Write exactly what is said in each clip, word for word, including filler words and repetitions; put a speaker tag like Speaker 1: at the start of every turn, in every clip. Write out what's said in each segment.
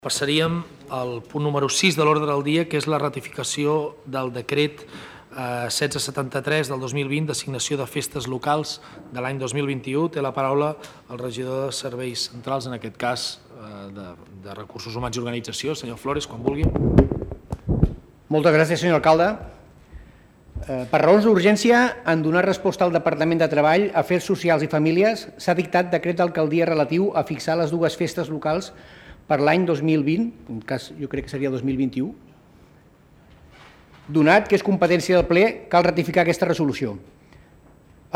Speaker 1: Passaríem al punt número sis de l'ordre del dia, que és la ratificació del decret setze setanta-tres del dos mil vint d'assignació de festes locals de l'any dos mil vint-i-u. Té la paraula el regidor de Serveis Centrals, en aquest cas de, de Recursos Humans i Organització, senyor Flores, quan vulgui.
Speaker 2: Moltes gràcies, senyor alcalde. Per raons d'urgència, en donar resposta al Departament de Treball, Afers Socials i Famílies, s'ha dictat decret d'alcaldia relatiu a fixar les dues festes locals per l'any dos mil vint, en cas jo crec que seria dos mil vint-i-u. Donat que és competència del ple, cal ratificar aquesta resolució.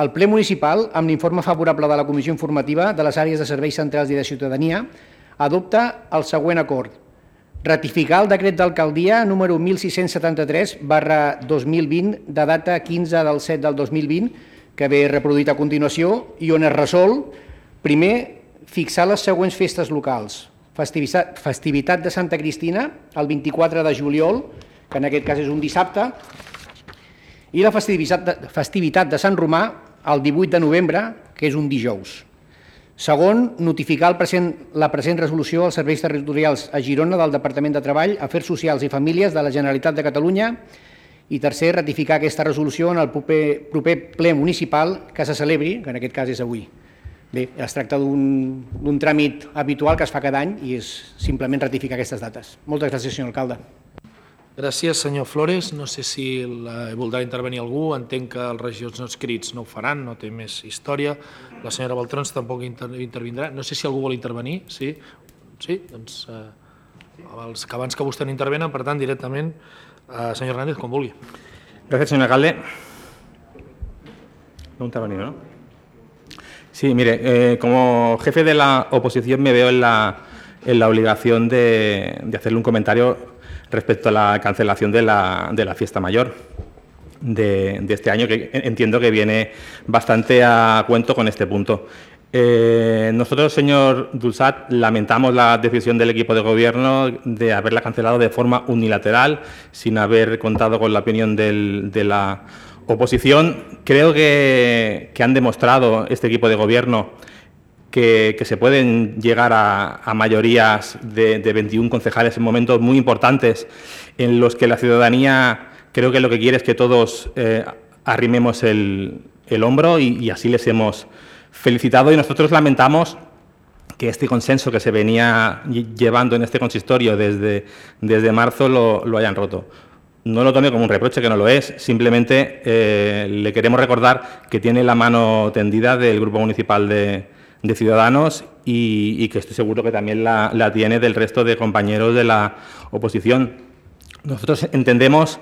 Speaker 2: El ple municipal, amb l'informe favorable de la Comissió Informativa de les àrees de serveis centrals i de ciutadania, adopta el següent acord. Ratificar el decret d'alcaldia número mil sis-cents setanta-tres barra dos mil vint de data quinze del set del dos mil vint, que ve reproduït a continuació, i on es resol, primer, fixar les següents festes locals. Festivitat de Santa Cristina, el vint-i-quatre de juliol, que en aquest cas és un dissabte, i la festivitat de, festivitat de Sant Romà, el divuit de novembre, que és un dijous. Segon, notificar el present, la present resolució als serveis territorials a Girona del Departament de Treball, Afers Socials i Famílies de la Generalitat de Catalunya. I tercer, ratificar aquesta resolució en el proper, proper ple municipal que se celebri, que en aquest cas és avui. Bé, es tracta d'un tràmit habitual que es fa cada any i és simplement ratificar aquestes dates. Moltes gràcies, senyor alcalde.
Speaker 1: Gràcies, senyor Flores. No sé si la, voldrà intervenir algú. Entenc que els regidors no escrits no ho faran, no té més història. La senyora Baltrons tampoc inter intervindrà. No sé si algú vol intervenir. Sí? Sí? Doncs eh, els que abans que vostè no intervenen, per tant, directament, eh, senyor Hernández, com vulgui.
Speaker 3: Gràcies, senyor alcalde. No intervenir, ¿no? Sí, mire, eh, como jefe de la oposición me veo en la, en la obligación de, de hacerle un comentario respecto a la cancelación de la, de la fiesta mayor de, de este año, que entiendo que viene bastante a cuento con este punto. Eh, nosotros, señor Dulsat, lamentamos la decisión del equipo de gobierno de haberla cancelado de forma unilateral, sin haber contado con la opinión del, de la oposición. Creo que, que han demostrado este equipo de gobierno que, que se pueden llegar a, a mayorías de, de veintiún concejales en momentos muy importantes en los que la ciudadanía creo que lo que quiere es que todos eh, arrimemos el, el hombro y, y así les hemos felicitado, y nosotros lamentamos que este consenso que se venía llevando en este consistorio desde, desde marzo lo, lo hayan roto. No lo tome como un reproche, que no lo es, simplemente eh, le queremos recordar que tiene la mano tendida del Grupo Municipal de, de Ciudadanos y, y que estoy seguro que también la, la tiene del resto de compañeros de la oposición. Nosotros entendemos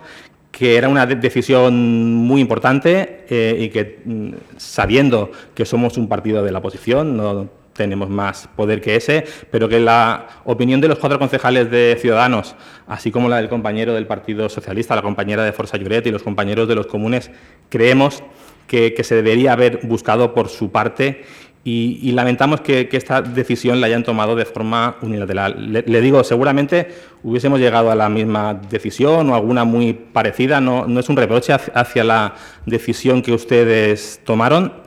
Speaker 3: que era una decisión muy importante eh, y que, sabiendo que somos un partido de la oposición, no tenemos más poder que ese, pero que la opinión de los cuatro concejales de Ciudadanos, así como la del compañero del Partido Socialista, la compañera de Força Lloret y los compañeros de los comunes, creemos que, que se debería haber buscado por su parte y, y lamentamos que, que esta decisión la hayan tomado de forma unilateral. Le, le digo, seguramente hubiésemos llegado a la misma decisión o alguna muy parecida, no, no es un reproche hacia la decisión que ustedes tomaron.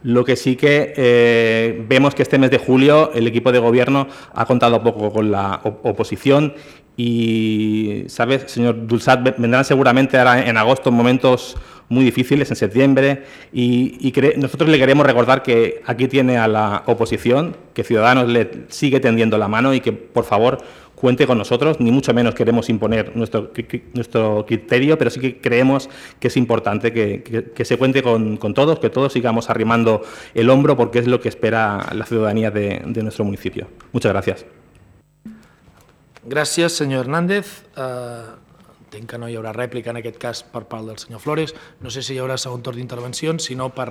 Speaker 3: Lo que sí que eh, vemos que este mes de julio el equipo de gobierno ha contado poco con la op oposición y, ¿sabes, señor Dulsat? Vendrán seguramente ahora en agosto momentos muy difíciles, en septiembre, y, y nosotros le queremos recordar que aquí tiene a la oposición, que Ciudadanos le sigue tendiendo la mano y que, por favor, cuente con nosotros. Ni mucho menos queremos imponer nuestro, nuestro criterio, pero sí que creemos que es importante que, que, que se cuente con, con todos, que todos sigamos arrimando el hombro, porque es lo que espera la ciudadanía de, de nuestro municipio. Muchas gracias.
Speaker 1: Gràcies, senyor Hernández. Uh, entenc que no hi haurà rèplica en aquest cas per part del senyor Flores. No sé si hi haurà segon torn d'intervencions, sinó per...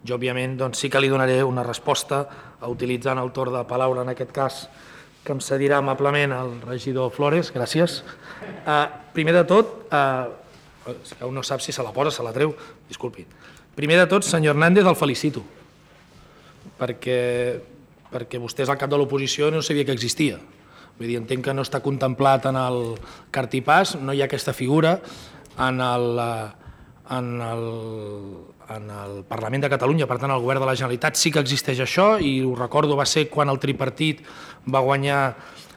Speaker 1: Jo, òbviament, doncs, sí que li donaré una resposta utilitzant el torn de paraula, en aquest cas, que em cedirà amablement el regidor Flores. Gràcies. Uh, primer de tot, uh, si un no sap si se la posa, se la treu, disculpi. Primer de tot, senyor Hernández, el felicito, perquè, perquè vostè és el cap de l'oposició i no sabia que existia. Vull dir, entenc que no està contemplat en el cartipàs, no hi ha aquesta figura en el, en el, en el Parlament de Catalunya, per tant, el Govern de la Generalitat sí que existeix això, i ho recordo, va ser quan el tripartit va guanyar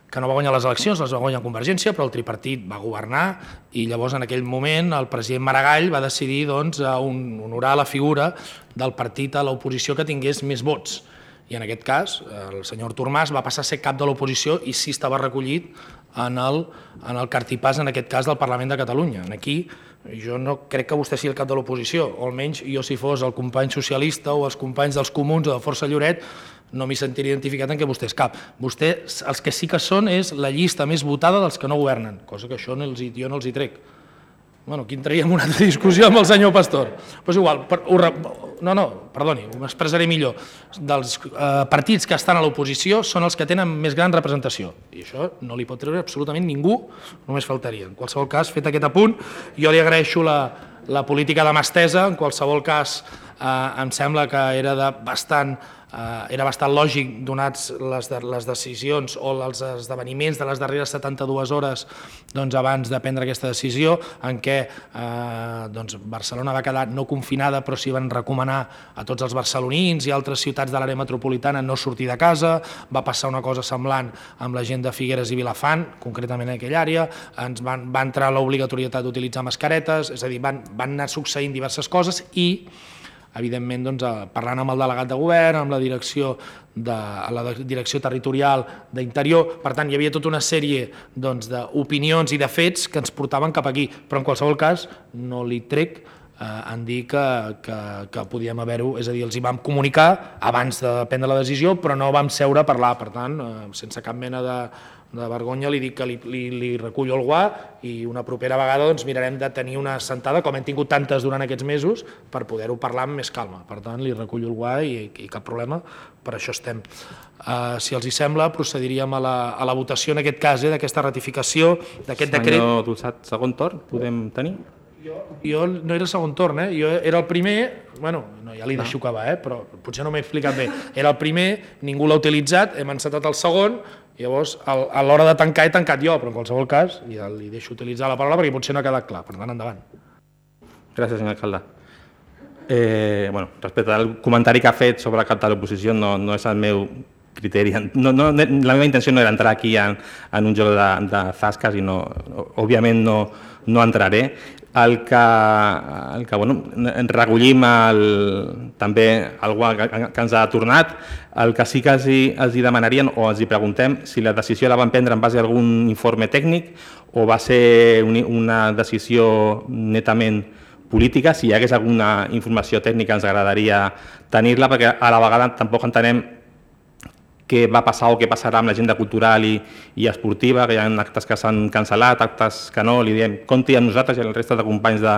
Speaker 1: que no va guanyar les eleccions, les va guanyar Convergència, però el tripartit va governar i llavors en aquell moment el president Maragall va decidir doncs, honorar la figura del partit a l'oposició que tingués més vots. I en aquest cas el senyor Artur Mas va passar a ser cap de l'oposició i sí estava recollit en el, en el cartipàs, en aquest cas, del Parlament de Catalunya. Aquí jo no crec que vostè sigui el cap de l'oposició, o almenys jo si fos el company socialista o els companys dels comuns o de Força Lloret no m'hi sentiria identificat en què vostè és cap. Vostè, els que sí que són és la llista més votada dels que no governen, cosa que això no els, jo no els hi trec. Bueno, aquí entraríem una altra discussió amb el senyor Pastor. Però és igual, per, no, no, perdoni, m'expressaré millor. Dels eh, partits que estan a l'oposició són els que tenen més gran representació. I això no li pot treure absolutament ningú, només faltaria. En qualsevol cas, fet aquest apunt, jo li agraeixo la, la política de mà estesa, en qualsevol cas eh, em sembla que era de bastant... Uh, era bastant lògic, donats les, de, les decisions o els esdeveniments de les darreres setanta-dues hores doncs, abans de prendre aquesta decisió, en què uh, doncs, Barcelona va quedar no confinada, però s'hi van recomanar a tots els barcelonins i altres ciutats de l'àrea metropolitana no sortir de casa. Va passar una cosa semblant amb la gent de Figueres i Vilafant, concretament en aquella àrea, ens van, va entrar l'obligatorietat d'utilitzar mascaretes, és a dir, van, van anar succeint diverses coses i evidentment, doncs, parlant amb el delegat de govern, amb la direcció, de, la direcció territorial d'Interior, per tant, hi havia tota una sèrie doncs, d'opinions i de fets que ens portaven cap aquí, però en qualsevol cas no li trec eh, en dir que, que, que podíem haver-ho, és a dir, els hi vam comunicar abans de prendre la decisió, però no vam seure a parlar, per tant, eh, sense cap mena de, de vergonya li dic que li, li, li recullo el guà i una propera vegada doncs, mirarem de tenir una sentada, com hem tingut tantes durant aquests mesos, per poder-ho parlar amb més calma. Per tant, li recullo el guà i, i cap problema, per això estem. Uh, si els hi sembla, procediríem a la, a la votació en aquest cas, eh, d'aquesta ratificació, d'aquest decret.
Speaker 3: Senyor Dolçat, segon torn, podem tenir?
Speaker 1: Jo, jo no era segon torn, eh? Jo era el primer, bueno, no, ja li deixo acabar, eh? Però potser no m'he explicat bé. Era el primer, ningú l'ha utilitzat, hem encetat el segon, llavors a l'hora de tancar he tancat jo, però en qualsevol cas ja li deixo utilitzar la paraula perquè potser no ha quedat clar, per tant, endavant.
Speaker 3: Gràcies, senyor alcalde. Eh, bueno, respecte al comentari que ha fet sobre el cap de l'oposició, no, no és el meu criteri. No, no, la meva intenció no era entrar aquí en, en un joc de, de zasques i no, òbviament no, no entraré. El que, el que bueno, recollim el, també algú que, que ens ha tornat, el que sí que els hi, els hi demanarien o els hi preguntem si la decisió la van prendre en base a algun informe tècnic o va ser una decisió netament política, si hi hagués alguna informació tècnica ens agradaria tenir-la perquè a la vegada tampoc entenem què va passar o què passarà amb l'agenda cultural i, i esportiva, que hi ha actes que s'han cancel·lat, actes que no, li diem, compti amb nosaltres i amb el resta de companys de,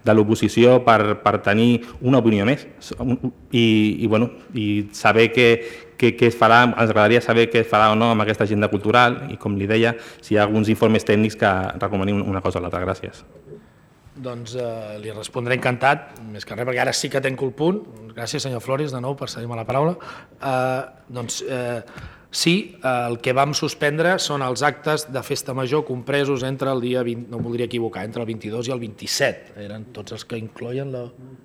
Speaker 3: de l'oposició per, per tenir una opinió més i, i, bueno, i saber què, què, què es farà, ens agradaria saber què es farà o no amb aquesta agenda cultural i, com li deia, si hi ha alguns informes tècnics que recomanin una cosa o l'altra. Gràcies.
Speaker 1: Doncs eh, li respondré encantat, més que res, perquè ara sí que tenc el punt. Gràcies, senyor Flores, de nou, per cedir-me la paraula. Eh, doncs eh, sí, eh, el que vam suspendre són els actes de festa major compresos entre el dia vint, no em voldria equivocar, entre el vint-i-dos i el vint-i-set. Eren tots els que incloïen la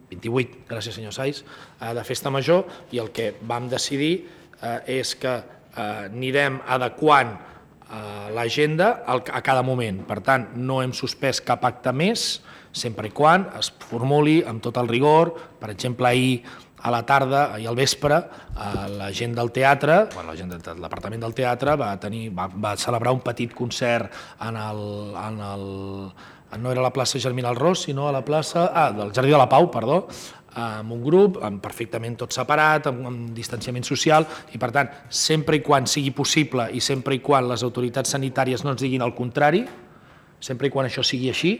Speaker 1: vint-i-vuit, gràcies, senyor Saiz, eh, de festa major, i el que vam decidir eh, és que eh, anirem adequant eh, l'agenda a cada moment. Per tant, no hem suspès cap acte més, sempre i quan es formuli amb tot el rigor. Per exemple, ahir a la tarda, ahir al vespre, la gent del teatre, bueno, la gent del departament del teatre va, tenir, va, va celebrar un petit concert en el, en el, no era a la plaça Germinal Ros, sinó a la plaça, ah, del Jardí de la Pau, perdó, amb un grup, amb perfectament tot separat, amb, amb distanciament social, i per tant, sempre i quan sigui possible i sempre i quan les autoritats sanitàries no ens diguin el contrari, sempre i quan això sigui així,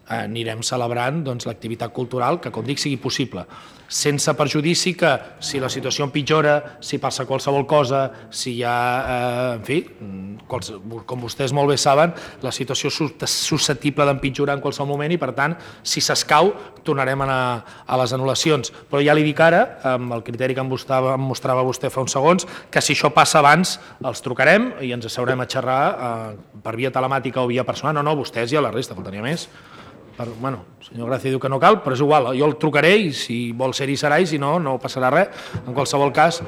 Speaker 1: anirem celebrant doncs, l'activitat cultural que, com dic, sigui possible, sense perjudici que si la situació empitjora, si passa qualsevol cosa, si hi ha, eh, en fi, com vostès molt bé saben, la situació és susceptible d'empitjorar en qualsevol moment i, per tant, si s'escau, tornarem a anar a les anul·lacions. Però ja li dic ara, amb el criteri que em mostrava, em mostrava vostè fa uns segons, que si això passa abans, els trucarem i ens asseurem a xerrar eh, per via telemàtica o via personal. No, no, vostès i a la resta, faltaria més. Per, bueno, el senyor Gràcia diu que no cal, però és igual, jo el trucaré i si vol ser-hi serà i si no, no passarà res. En qualsevol cas,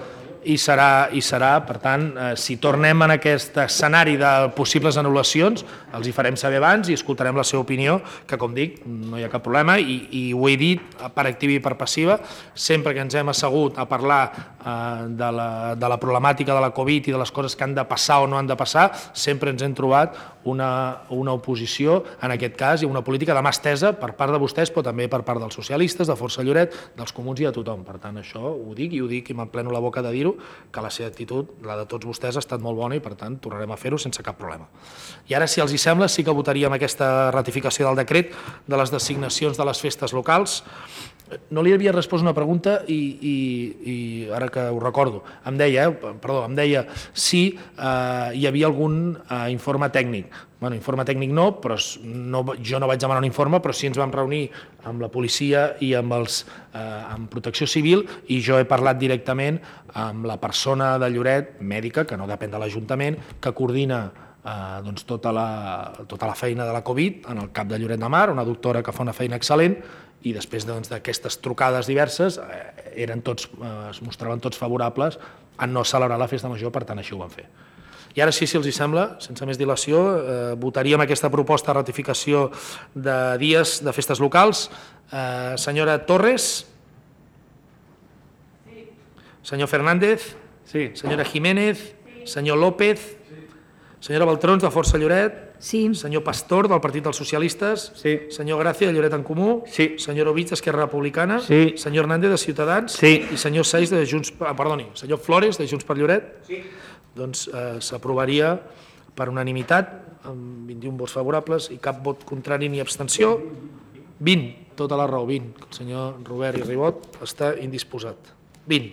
Speaker 1: i serà, i serà, per tant, eh, si tornem en aquest escenari de possibles anul·lacions, els hi farem saber abans i escoltarem la seva opinió, que com dic, no hi ha cap problema, i, i ho he dit per activa i per passiva, sempre que ens hem assegut a parlar eh, de, la, de la problemàtica de la Covid i de les coses que han de passar o no han de passar, sempre ens hem trobat una, una oposició, en aquest cas, i una política de mà estesa per part de vostès, però també per part dels socialistes, de Força Lloret, dels comuns i de tothom. Per tant, això ho dic i ho dic i m'empleno la boca de dir-ho, que la seva actitud, la de tots vostès, ha estat molt bona i, per tant, tornarem a fer-ho sense cap problema. I ara, si els hi sembla, sí que votaríem aquesta ratificació del decret de les designacions de les festes locals. No li havia respost una pregunta i, i, i ara que ho recordo, em deia, eh, perdó, em deia si eh, hi havia algun eh, informe tècnic. Bueno, informe tècnic no, però no, jo no vaig demanar un informe, però sí ens vam reunir amb la policia i amb, els, eh, amb Protecció Civil i jo he parlat directament amb la persona de Lloret, mèdica, que no depèn de l'Ajuntament, que coordina eh, doncs, tota, la, tota la feina de la Covid en el cap de Lloret de Mar, una doctora que fa una feina excel·lent, i després d'aquestes doncs, trucades diverses eh, eren tots, eh, es mostraven tots favorables a no celebrar la festa major, per tant així ho van fer. I ara sí, si els hi sembla, sense més dilació, eh, votaríem aquesta proposta de ratificació de dies de festes locals. Eh, senyora Torres? Sí. Senyor Fernández? Sí. Senyora Jiménez? Sí. Senyor López? Sí. Senyora Baltrons, de Força Lloret?
Speaker 4: Sí.
Speaker 1: Senyor Pastor, del Partit dels Socialistes?
Speaker 3: Sí.
Speaker 1: Senyor Gràcia, de Lloret en Comú?
Speaker 3: Sí.
Speaker 1: Senyor Ovich, d'Esquerra Republicana?
Speaker 3: Sí.
Speaker 1: Senyor Hernández, de Ciutadans?
Speaker 3: Sí.
Speaker 1: I senyor Seix, de Junts... Ah, perdoni, senyor Flores, de Junts per Lloret?
Speaker 3: Sí.
Speaker 1: Doncs eh, s'aprovaria per unanimitat, amb vint-i-un vots favorables i cap vot contrari ni abstenció. vint, tota la raó, vint. El senyor Robert i Ribot està indisposat. vint.